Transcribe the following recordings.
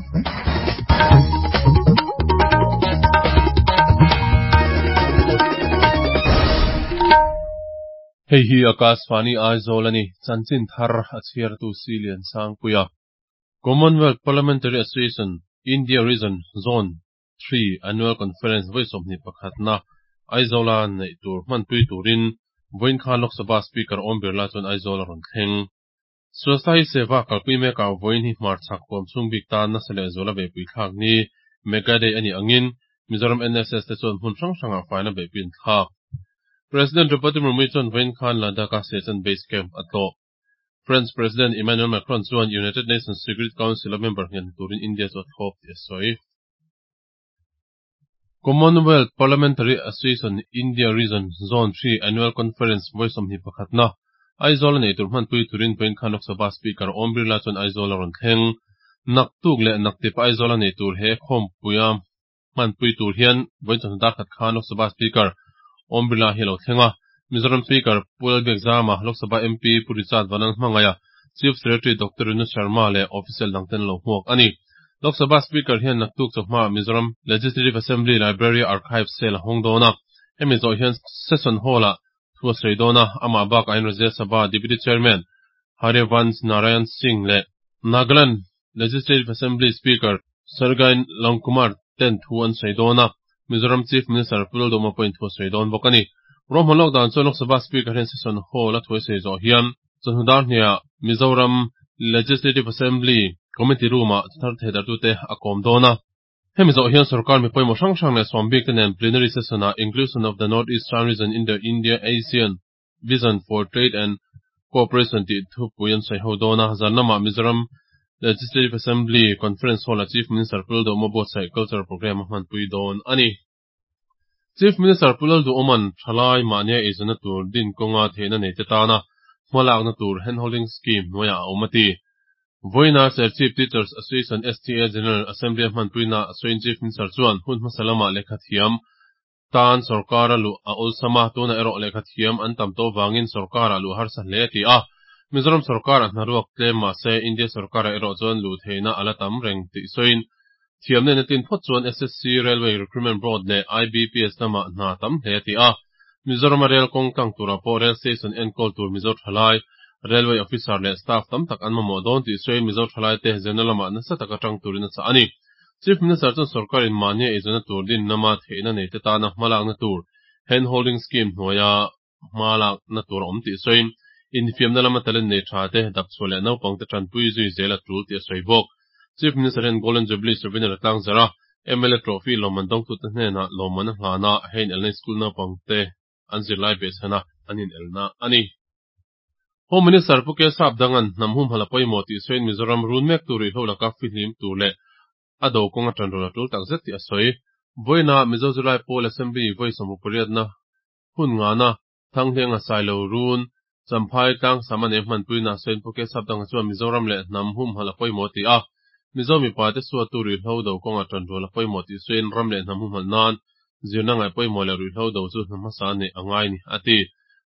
Hei hi Akashvani Aizawl a ni, chanchin thar a chhiartu Si Liansangpuia. Commonwealth Parliamentary Association India Region Zone Three Annual Conference vawi sawmhnih pakhatna Aizawla neih tur hmanpui turin vawiin khan Lok Sabha Speaker Om Birla chuan Aizawl a rawn thleng. Swasthai Seva kalpui mekah vawiin hi hmarchhak huam chhung bik tan nasa leh zuala beihpui thlak ni Mega Day a nih angin Mizoram NSS te chuan hmun hrang hrangah faina beihpui an thlak. President Draupadi Murmu chuan vawiin khan Ladakh-a Siachen Base Camp a tlawh. French President Emmanuel Macron chuan United Nations Security Council-a member nghen turin India chu a thlawp tih a sawi. Commonwealth Parliamentary Association India Region Zone Three Annual Conference vawi 21na Aizawl a nei tur hmanpui turin vawiin khan Lok Sabha Speaker Om Birla chuan Aizawl a rawn thleng. Naktuk leh naktip Aizawl a nei tur he khawmpuia hmanpui tur hian vawiin chawhnu dar khat khan Lok Sabha Speaker Om Birla hi a lo thleng a. Mizoram Speaker Pu Lalbiakzama, Lok Sabha MP Pu Richard Vanlalhmangaia, Chief Secretary Doctor Renu Sharma leh official dangten an lo hmuak a ni. Lok Sabha Speaker hian naktuk chawhma Mizoram Legislative Assembly Library Archive Sale a hawng dawn a. Hemi zawh hian Session Hall-ah thu a sawi dawn a, amah bakah hian Rajya Sabha Deputy Chairman Harivansh Narayan Singh leh Nagaland Legislative Assembly Speaker Sergei Longkumar ten thu an sawi dawn a, Mizoram Chief Minister Pu Lalduhma pawhin thu a sawi dawn bawk a ni. Ruahman lawk dan chuan Lok Sabha Speaker hian Session Hall a thu a sawi zawh hian chawhnu dar hniah Mizoram Legislative Assembly Committee Room-ah thar theidartute a kawm dawn a. Hemi zawh hian sorkar mi pawimawh hrang hrang leh sawm bik te nen plenary session-ah Inclusion of the North Eastern Region in the India-ASEAN Vision for Trade and Cooperation tih thupui an sawi ho dawn a, zan lamah Mizoram Legislative Assembly Conference Hall-ah Chief Minister Pu Lalduhawma buatsaih Cultural Programme a hmanpui dawn a ni. Chief Minister Pu Lalduhawma'n thalai mahnia eizawnna tur din kawnga theihna neite tana hmalakna tur Handholding Scheme hnuaiah a awm a ti. Vawiina Serchhip Teachers Association STA General Assembly a hmanpuina sawiin Chief Minister chuan hun hmasa lamah lehkha thiam tan sorkara luh a awlsam a, tunah erawh lehkha thiam an tam tawh vangin sorkarah luh harsa hle a ti a. Mizoram sorkarah hnaruak tlem mahse India sorkarah erawh chuan luh theihna a la tam reng tih sawiin Thiam nena tin phawt chuan SSC, Railway Recruitment Board leh IBPS lamah hna tam hle a ti a. Mizorama rel kawng tlang turah pawh Rail Station enkawl tur Mizo thalai, Railway Officer leh Staff tam tak an mamawh dawn tih sawiin Mizo thalaite zirna lamah nasa taka tang turin a chah a ni. Chief Minister chuan sorkarin mahnia eizawnna tur din lama theihna neite tana hmalakna tur Hand Holding Scheme hnuaia hma lakna tur a awm tih sawiin, infiamna lama talent nei tha te, dapchhuah leh naupangte tanpui zui zel a tul tih a sawi bawk. Chief Minister hian Golden Jubilee Souvenir a tlang zarh a, mla Trophy lawmman dawngtute hnenah lawmman a hlan a, hei inelna school naupangte an zirlai behchhan a, an inelna a ni. Home Minister Pu Kesap Dangan hnam humhalh a pawimawh tih sawiin Mizoram run mek tur ruihhlo laka fihlim tur leh a do kawng a ṭan rawn a tul takzet tih a sawi. Vawiina Mizo Zirlai Pawl Assembly vawi 68na Hun ngana Thanghlenga Sailo Run, Champhai tlang sam a nei hmanpuina sawiin Pu Kesap Danga chuan Mizoram leh hnam humhalh a pawimawh ti a, Mizo mipate suatu ruihhlo do kawnga ṭanrual a pawimawh tih sawiin ram leh hnam humhalh nan zirna ngaih pawimawh leh ruihhlo do chu hna hmasa a neih a ngai ni, a ti.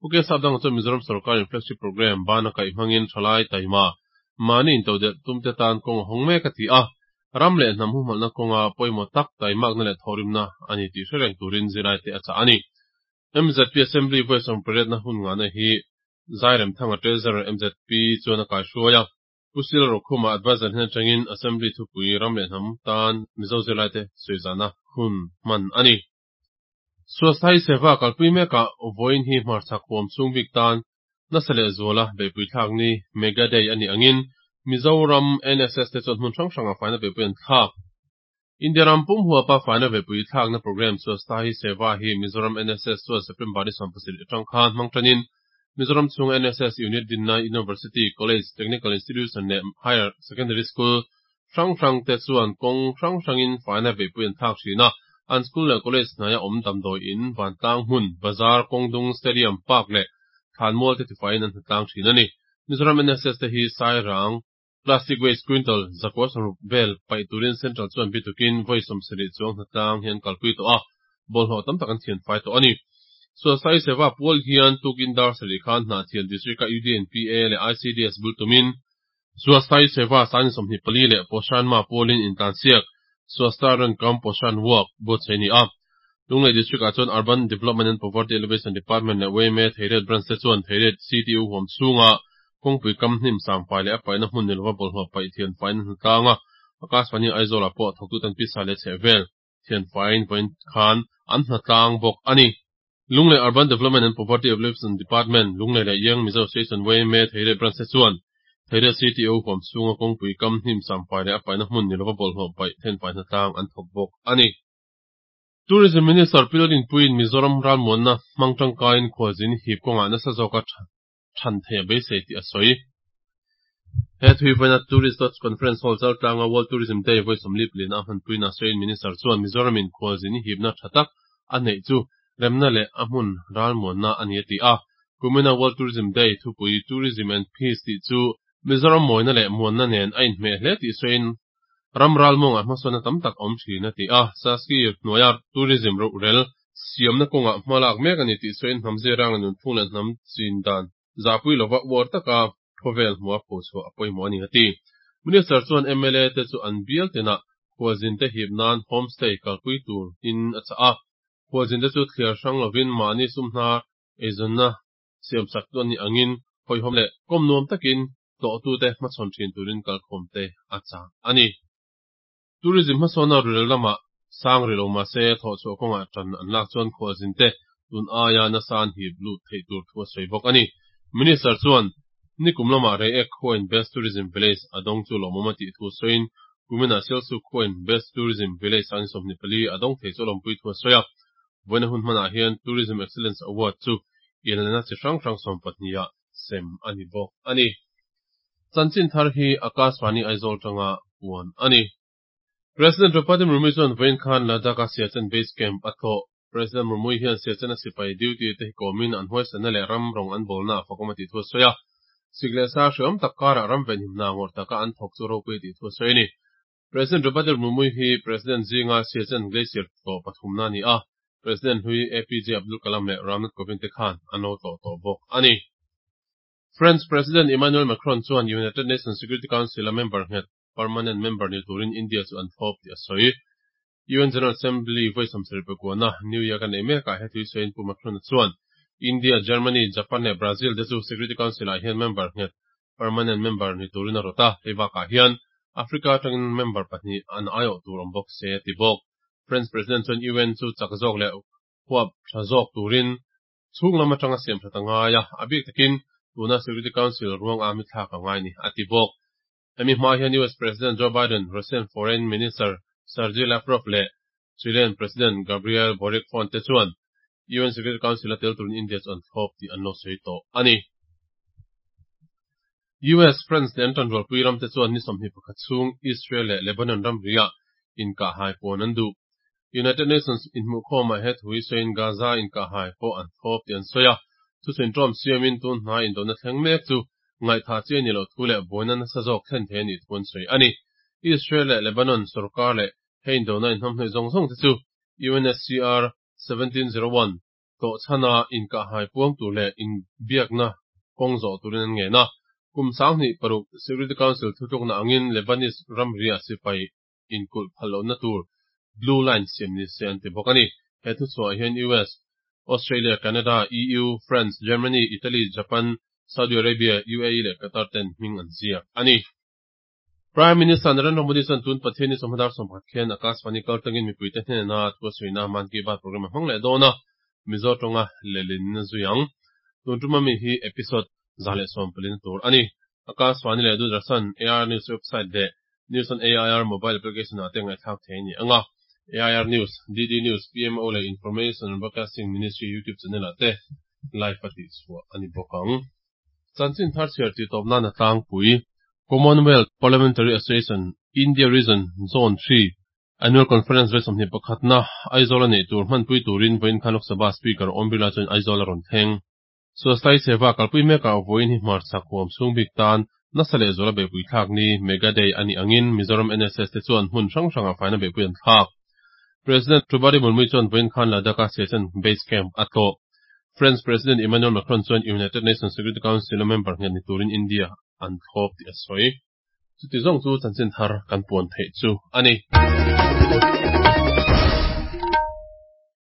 Pu Kesap Danga chuan Mizoram sorkarin flagship programme bana kaih hmangin ṭhalai taima mahni intodelh tumte tan kawng a hawng mek a ti a, Ram leh hnam humhalhna kawnga pawimawh tak taimakna leh thawhrimna a ni tih hre reng turin zirlaite a chah a ni. MZP Assembly vawi 18na hun ngahna hi Zairemthanga Treasurer MZP chuan a kaihruai a. Pu Sil Rokhuma Adviser hnen atangin Assembly thupui ram leh hnam tan Mizo zirlaite sawizahna hun hman a ni. Swasthai Seva kalpui mekah vawiin hi hmarchhak huam chhung bik tan nasa leh zuala beihpui thlak ni Mega Day a nih angin Mizoram NSS te chuan hmun hrang hrangah faina beihpui an thlak. India ram pum huapa faina beihpui thlakna programme Swasthai Seva hi Mizoram NSS chuan September ni 17 atang khan hmang tanin Mizoram chhunga NSS unit dinna University, College, Technical Institution leh Higher Secondary School hrang hrang te chuan kawng hrang hrangin faina beihpui an thlak thin a, an school leh college hnaia awm damdawi in, vantlang hmun, bazar, kawngdung, stadium, park leh thlanmual te tifaiin an hnatlang thin a ni. Mizoram NSS te hi Sairang, plastic waste quintal 960 vel paih turin Central chuan bitukin vawi 70 chuang hnatlang hi an kalpui tawh a, bawlhhlawh tam tak an thian fai tawh a ni. Sualsai Seva pual hian tukin dar sarih khan Hnahthial District-a UDNPA leh ICDS bul tumin, Swasthai Seva Sangni 24 leh Poshan Maah pawlin intlansiak Swastha Run Cum Poshan Walk buatsaih a ni a. Lunglei District-ah chuan Urban Development and Poverty Alleviation Department leh yma Theiriat Branch te chuan Theiriat CTU huam chhunga kawngpui kam hnim sangpai leh a paihna hmun ni lova bawlhhlawh paih thianfain a hnatlang a, Akashvani Aizawlah pawh thawktuten pisa leh chhehvel thianfaiin vawiin khan an hnatlang bawk a ni. Lunglei Urban Development and Poverty Alleviation Department, Lunglei leh Young Mizo Association yma Theiriat Branch te chuan Theiriat CTO huam chhunga kawngpui kam hnim sangpai leh a paihna hmun ni lova bawlhhlawh paih thianfai hnatlang an thawk bawk a ni. Tourism Minister Pi Lalrinpuiin Mizoram ralmuanna hmang tangkaiin khualzin hip kawngah nasa zawka than thei a beisei tih a sawi. He thuivaina Tourist Lodge Conference Hall chaltlanga World Tourism Day vawi 44 a hmanpuiin a sawiin Minister chuan Mizoramin khualzin hipna tha tak a neih chu remna leh a hmun ralmuanna a ni a ti a. Kumina World Tourism Day thupui Tourism and Peace tih chu Mizoram mawina leh muanna nen a inhmeh hle tih sawiin Ram ralmuangah hmasawnna tam tak a awm thin a ti a, Saski hnuaia tourism ruhrel siamna kawngah hma lak mek a ni tih sawiin hnam zirang leh nunphung leh hnam chin dan zahpui lova uar taka khawvel hmua phochhuah a pawimawh a ni a ti. Minister chuan mla te chu an bial tinah khualzinte hip nan homestay kalpui tur in a chah a, khualzinte chu thliar hrang lovin mahni sumhna eizawnna siamsak tu an nih angin hawihhawm leh kawm nuam takin tlawhtute hmachhawn thin turin kalkhawmte a chah a ni. Tourism hmasawnna rurel lamah sang rih lo mahse thawhchhuah kawngah tan an lak chuan khualzinte tun aia nasa an hip lut theih tur thu a sawi bawk a ni. Minister chuan nikum lamah Reiek khuain Best Tourism Village a dawng chu lawmawm a tih thu sawiin kuminah Sialsuk khuain Best Tourism Village an 24 a dawng thei chu a lawmpui thu a sawi a. Vawiina hun hmanah hian Tourism Excellence Award chu inelna chi hrang hrang 20 ah sem a ni bawk a ni. Chanchin thar hi Akashvani Aizawl tanga puan a ni. President Draupadi Murmu chuan vawiin khan Ladakh-a Siachen Base Camp a tlawh. President Murmu hian Siachen a sipai duty te hi kawmin an huaisanna leh ram rawng an bawlna a fakawm a tih thu a sawi a. Sik leh sa hreawm tak karah ram venhimna ngawrh taka an thawk chu ropui a tih thu a sawi a ni. President Draupadi Murmu hi President zinga Siachen Glacier tlawh pathumna a ni a. President hlui APJ Abdul Kalam leh Ramnath Kovind te khan an lo tlawh tawh bawk a ni. French President Emmanuel Macron chuan United Nations Security Council a member nghet permanent member ni turin India chu an thlawp tih a sawi. UN General Assembly vawi 79na New York a neih mekah he thui sawiin Pu Macron chuan India, Germany, Japan leh Brazil te chu Security Council ah hian member nghet permanent member ni turin a rawt a, hei bakah hian Africa atangin member pahnih an aiawh tur awm bawk se a ti bawk. French President chuan UN chu chak zawk leh huap tha zawk turin chhung lam atanga siam that a ngai a, a bik takin tuna Security Council ruang a mi thlak a ngai ni a ti bawk. Hemi hma hian US President Joe Biden, Russian Foreign Minister Sergei Lavrov leh Chilean President Gabriel Boric phone te chuan UN Security Council a tel turin India chu an thlawp tih an lo sawi tawh a ni. US, France leh an tanrualpui ram te chuan ni 21 chhung Israel leh Lebanon ram riah inkahhai puan an duh. United Nations inhmuhkhawmah he thu hi sawiin Gaza inkahhai pawh an thlawp tih an sawi a. Thusawi ṭawm siamin tun hnai indona thleng mek chu ngaihthah chi a ni loh thu leh buaina nasa zawk thlen thei a nih thu an sawi a ni. Israel leh Lebanon sorkar leh he indona inhnamhnawih zawng zawng te chu UNSCR 1701 tlawhchhana inkahhai puang tur leh inbiakna kawng zawh turin an ngen a. Kum 2006 Security Council thutlukna angin Lebanese ram riah sipai inkulh phal lohna tur Blue Line siam ni se an ti bawk a ni. He thuchhuah hian US, Australia, Canada, EU, France, Germany, Italy, Japan, Saudi Arabia, UAE leh Qatar ten hming an ziak a ni. Prime Minister Narendra Modi chuan tun Pathianni chawhma dar 11 khian Akashvani kaltlangin mipuite hnena thu a sawina Mann Ki Baat program a hmang leh dawn a, Mizo tawnga lehlin zui ang. Tun tuma mi hi episode 114 na tur a ni. Akashvani leh Doordarshan, AIR News website leh News on AIR mobile application ah te ngaihthlak thei a ni ang a. AIR News, DD News, PMO leh Information and Broadcasting Ministry YouTube channel ah te live a tihchhuah a ni bawk ang. Chanchin thar chhiar tih tawp nan a tlangpui. Commonwealth Parliamentary Association India Region Zone 3 Annual Conference vawi 21 na Aizawl a neih tur hmanpui turin vawiin khan Lok Sabha Speaker Om Birla chuan Aizawl a rawn thleng. Swasthai Seva kalpui mekah vawiin hi hmarchhak huam chhung bik tan nasa leh zuala beihpui thlak ni Mega Day a nih angin Mizoram NSS te chuan hmun hrang hrangah faina beihpui an thlak. President Draupadi Murmu chuan vawiin khan Ladakh-a Siachen Base Camp a tlawh. French President Emmanuel Macron chuan United Nations Security Council a member nghet ni turin India an thlawp tih a sawi. Chuti zawng chu chanchin thar kan puan theih chu a ni.